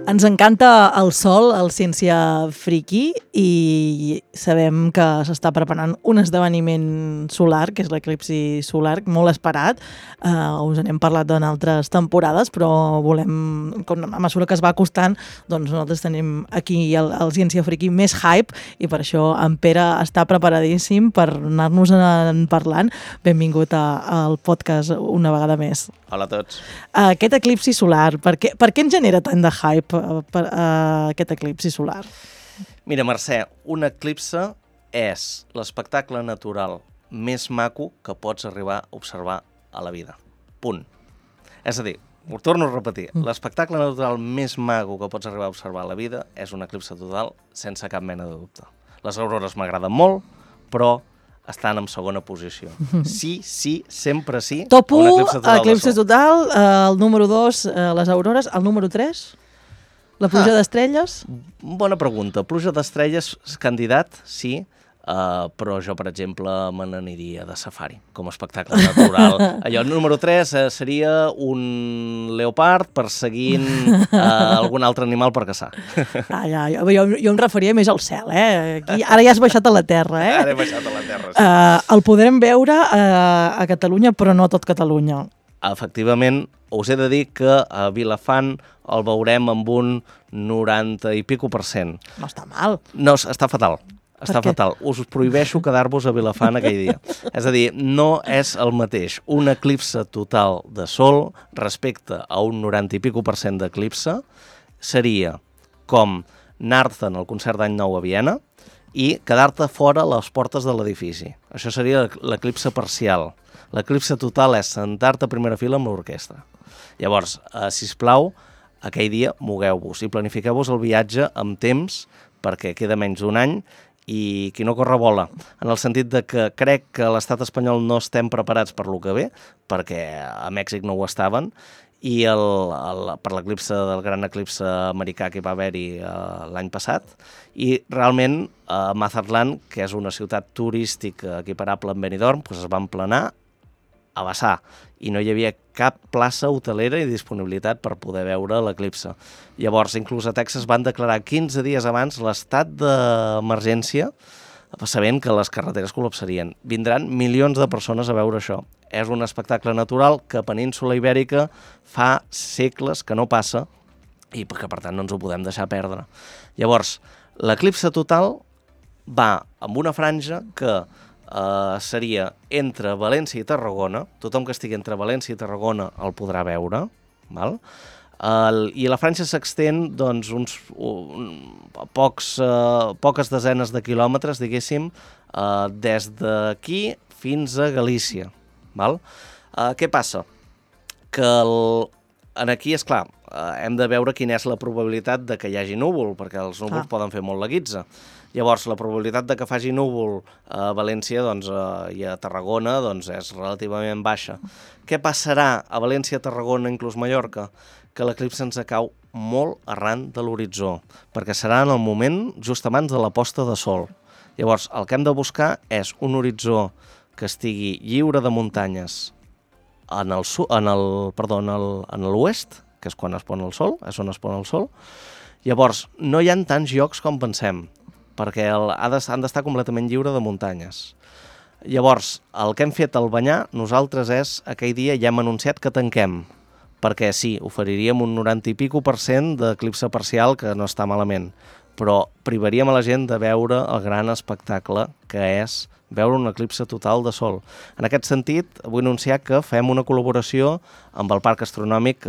Ens encanta el sol, el Ciència Friki, i sabem que s'està preparant un esdeveniment solar, que és l'eclipsi solar, molt esperat. Us n'hem parlat en altres temporades, però volem, a mesura que es va acostant, doncs nosaltres tenim aquí el Ciència Friki més hype, i per això en Pere està preparadíssim per anar-nos parlant. Benvingut al podcast una vegada més. Hola a tots. Aquest eclipsi solar, per què ens genera tant de hype aquest eclipsi solar? Mira, Mercè, un eclipse és l'espectacle natural més maco que pots arribar a observar a la vida. Punt. És a dir, ho torno a repetir, l'espectacle natural més maco que pots arribar a observar a la vida és un eclipse total sense cap mena de dubte. Les aurores m'agraden molt, però estan en segona posició. Sí, sempre sí. Top 1, eclipse total, el número 2, les aurores, el número 3, la pluja d'estrelles? Bona pregunta. Pluja d'estrelles, candidat, sí, però jo, per exemple, me n'aniria de safari, com a espectacle natural. Allò, el número 3 seria un leopard perseguint algun altre animal per caçar. Jo em referia més al cel, Aquí, ara ja has baixat a la terra, Ara he baixat a la terra, sí. El podrem veure a Catalunya, però no a tot Catalunya. Efectivament, us he de dir que a Vilafant el veurem amb un 90 i pico %. No està mal. No, està fatal. Està fatal. Us prohibeixo quedar-vos a Vilafant aquell dia. És a dir, no és el mateix un eclipse total de sol respecte a un 90 i pico % d'eclipse. Seria com anar-te'n al concert d'Any Nou a Viena i quedar-te fora a les portes de l'edifici. Això seria l'eclipse parcial. L'eclipse total és sentar-te a primera fila amb l'orquestra. Llavors, sisplau, aquell dia mogueu-vos i planifiqueu-vos el viatge amb temps, perquè queda menys d'un any, i qui no corre vola, en el sentit de que crec que a l'estat espanyol no estem preparats per lo que ve, perquè a Mèxic no ho estaven, i per l'eclipse del gran eclipse americà que va haver-hi l'any passat, i realment Mazatlán, que és una ciutat turística equiparable amb Benidorm, doncs es van planar a vessar, i no hi havia cap plaça hotelera i disponibilitat per poder veure l'eclipse. Llavors, inclús a Texas van declarar 15 dies abans l'estat d'emergència, sabent que les carreteres col·lapsarien. Vindran milions de persones a veure això. És un espectacle natural que a Península Ibèrica fa segles que no passa i que, per tant, no ens ho podem deixar perdre. Llavors, l'eclipse total va amb una franja que seria entre València i Tarragona. Tothom que estigui entre València i Tarragona el podrà veure, val? I la franja s'extén doncs, poques desenes de quilòmetres, diguéssim, des d'aquí fins a Galícia. Val? Què passa? Que aquí, esclar, hem de veure quina és la probabilitat de que hi hagi núvol, perquè els núvols poden fer molt la guitza. Llavors, la probabilitat de que faci núvol a València i a Tarragona és relativament baixa. Què passarà a València, Tarragona, inclús Mallorca? Que l'eclipse ens cau molt arran de l'horitzó, perquè serà en el moment just abans de la posta de sol. Llavors, el que hem de buscar és un horitzó que estigui lliure de muntanyes en l'oest, que és quan es pon el sol, és on es pon el sol. Llavors, no hi ha tants llocs com pensem, perquè han d'estar completament lliure de muntanyes. Llavors, el que hem fet al Banyar, nosaltres aquell dia ja hem anunciat que tanquem, perquè sí, oferiríem un 90 i pico % d'eclipse parcial, que no està malament, però privaríem a la gent de veure el gran espectacle que és veure un eclipse total de sol. En aquest sentit, vull anunciar que fem una col·laboració amb el Parc Astronòmic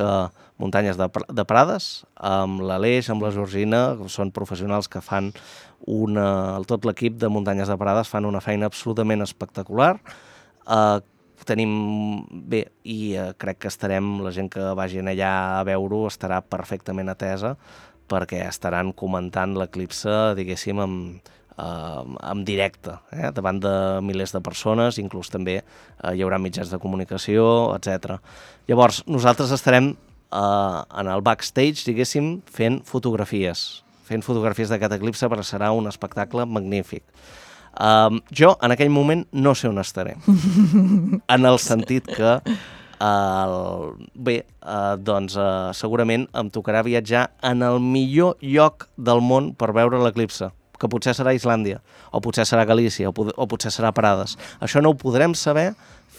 Muntanyes de Prades, amb l'Aleix, amb la Georgina, que són professionals que fan tot l'equip de Muntanyes de Prades fan una feina absolutament espectacular. Crec que la gent que vagin allà a veure-ho estarà perfectament atesa, perquè estaran comentant l'eclipse, diguéssim, en directe, davant de milers de persones, inclús també hi haurà mitjans de comunicació, etc. Llavors, nosaltres estarem en el backstage, diguéssim, fent fotografies d'aquest eclipse, perquè serà un espectacle magnífic. Jo, en aquell moment, no sé on estaré. En el sentit que doncs segurament em tocarà viatjar en el millor lloc del món per veure l'eclipse, que potser serà Islàndia, o potser serà Galícia, o potser serà Prades. Això no ho podrem saber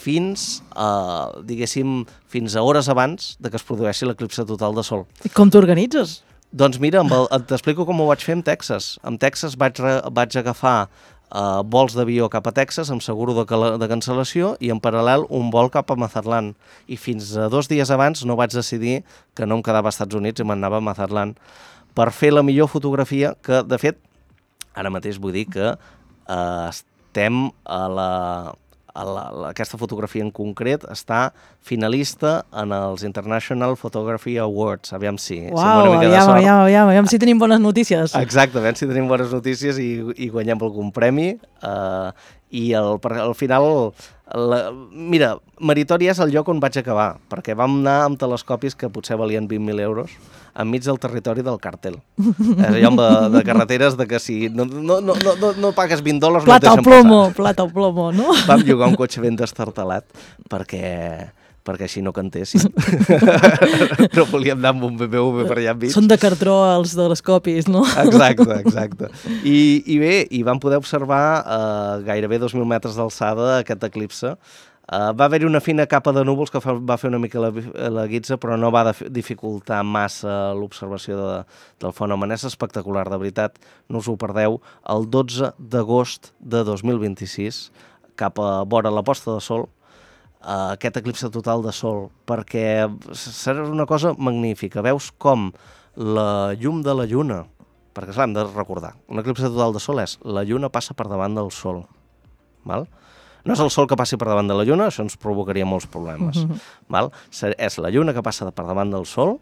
fins a hores abans de que es produeixi l'eclipse total de sol. I com t'organitzes? Doncs mira, t'explico com ho vaig fer amb Texas. Amb Texas vaig agafar vols d'avió cap a Texas amb seguro de cancel·lació i en paral·lel un vol cap a Mazatlan. I fins a 2 dies abans no vaig decidir que no em quedava als Estats Units i m'anava a Mazatlan per fer la millor fotografia que, de fet, ara mateix vull dir que estem aquesta fotografia en concret està finalista en els International Photography Awards. Aviam si aviam si tenim bones notícies. Exacte, aviam si tenim bones notícies i guanyem algun premi. I al final, mira, meritori és el lloc on vaig acabar, perquè vam anar amb telescopis que potser valien 20.000 euros enmig del territori del càrtel. És allò de carreteres de que si no pagues $20 no et deixen passar. Plata o plomo, no? Vam llogar un cotxe ben destartalat perquè així no cantessin. No volíem anar amb un BMW per allà enmig. Són de cartró els telescopis, no? Exacte. I bé, vam poder observar gairebé 2.000 metres d'alçada aquest eclipse. Va haver-hi una fina capa de núvols que va fer una mica la guitza, però no va dificultar massa l'observació del fenomen. És espectacular, de veritat, no us ho perdeu. El 12 d'agost de 2026, cap a vora la posta de sol, aquest eclipse total de sol, perquè serà una cosa magnífica. Veus com la llum de la lluna, perquè clar, hem de recordar, un eclipse total de sol és la lluna passa per davant del sol, val? No és el sol que passi per davant de la lluna, això ens provocaria molts problemes. Val? És la lluna que passa per davant del sol,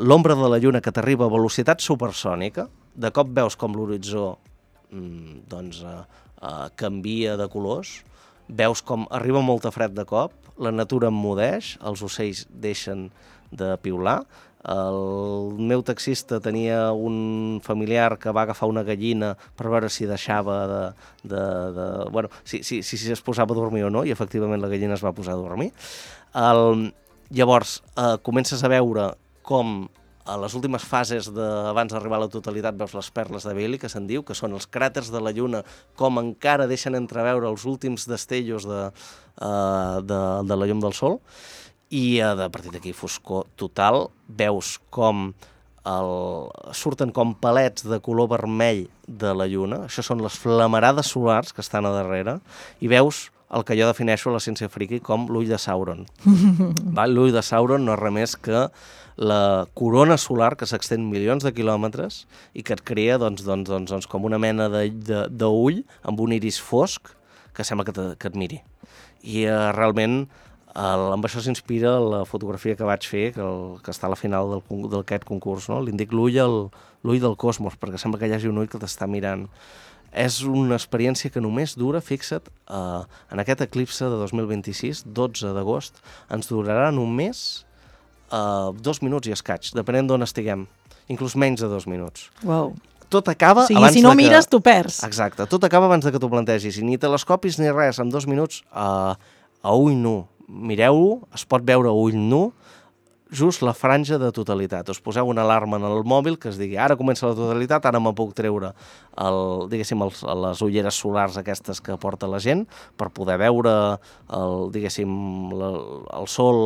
l'ombra de la lluna que t'arriba a velocitat supersònica, de cop veus com l'horitzó canvia de colors, veus com arriba molta fred de cop, la natura emmudeix, els ocells deixen de piular. El meu taxista tenia un familiar que va agafar una gallina per veure si deixava si es posava a dormir o no, i efectivament la gallina es va posar a dormir. Llavors, comences a veure com a les últimes fases abans d'arribar a la totalitat veus les perles de Bailey, que se'n diu, que són els cràters de la Lluna, com encara deixen entreveure els últims destellos de la llum del Sol, i a partir d'aquí foscor total, veus com surten com palets de color vermell de la Lluna, això són les flamarades solars que estan a darrere, i veus el que jo defineixo a la ciència friki com l'ull de Sauron. L'ull de Sauron no és res més que la corona solar que s'extén milions de quilòmetres i que et crea com una mena d'ull amb un iris fosc que sembla que et miri. I realment amb això s'inspira la fotografia que vaig fer, que està a la final d'aquest concurs, no? Li indic l'ull del cosmos, perquè sembla que hi hagi un ull que t'està mirant. És una experiència que només dura, fixa't, en aquest eclipse de 2026, 12 d'agost, ens durarà només 2 minuts i escaig, depenent d'on estiguem, inclús menys de 2 minuts. Uau. Tot acaba abans de que... Si no mires, tu perds. Exacte, tot acaba abans de que t'ho plantegis, i ni telescopis ni res, en 2 minuts a ull nu. Mireu-ho, es pot veure a ull nu, just la franja de totalitat. Us poseu una alarma en el mòbil que es digui ara comença la totalitat, ara me puc treure les ulleres solars aquestes que porta la gent per poder veure el sol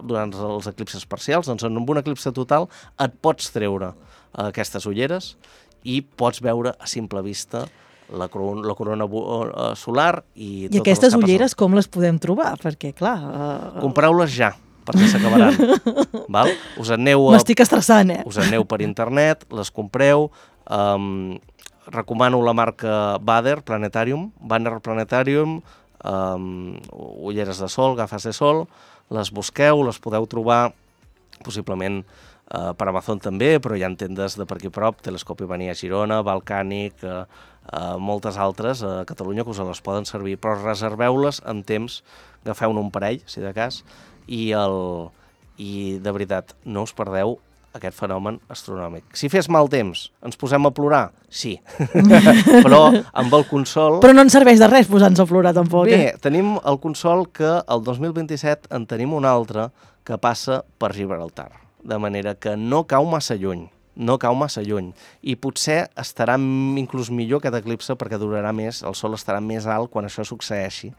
durant els eclipses parcials. Doncs en un eclipse total et pots treure aquestes ulleres i pots veure a simple vista la corona solar i totes aquestes ulleres com les podem trobar? Perquè, clar... Compreu-les ja, perquè s'acabaran. Us aneu m'estic estressant, Us aneu per internet, les compreu. Recomano la marca Banner Planetarium, ulleres de sol, gafes de sol, les busqueu, les podeu trobar possiblement per Amazon també, però hi ha tendes de per aquí prop, Telescopi Bania a Girona, Balcànic, moltes altres a Catalunya que us les poden servir, però reserveu-les amb temps, agafeu-ne un parell, si de cas, i de veritat, no us perdeu aquest fenomen astronòmic. Si fes mal temps, ens posem a plorar? Sí. Però amb el consol... Però no ens serveix de res posar-nos a plorar, tampoc. Bé, tenim el consol que el 2027 en tenim un altre que passa per Gibraltar, de manera que no cau massa lluny. I potser estarà inclús millor aquest eclipse perquè durarà més, el sol estarà més alt quan això succeeixi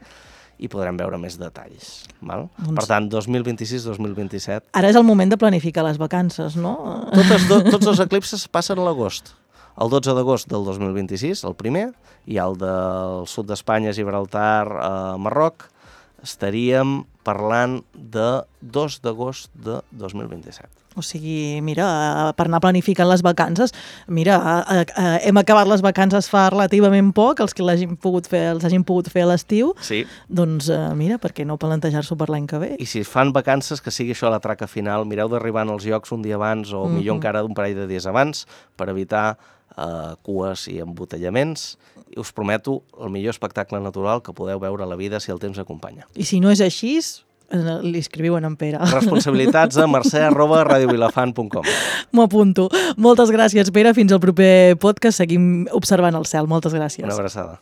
i podrem veure més detalls. Val? Per tant, 2026-2027... Ara és el moment de planificar les vacances, no? Tots els eclipses passen a l'agost. El 12 d'agost del 2026, el primer, i el del sud d'Espanya, Gibraltar, Marroc, estaríem parlant de 2 d'agost de 2027. O sigui, mira, per anar planificant les vacances, mira, hem acabat les vacances fa relativament poc, els que els hagin pogut fer a l'estiu, sí. Doncs mira, per què no plantejar-s'ho per l'any que ve? I si fan vacances, que sigui això la traca final, mireu d'arribar als llocs un dia abans o millor encara un parell de dies abans per evitar cues i embotellaments. I us prometo el millor espectacle natural que podeu veure a la vida si el temps acompanya. I si no és així, li escriuen en Pere. Responsabilitats a mercè@radiovilafant.com. M'ho apunto. Moltes gràcies, Pere. Fins al proper podcast. Seguim observant el cel. Moltes gràcies. Una abraçada.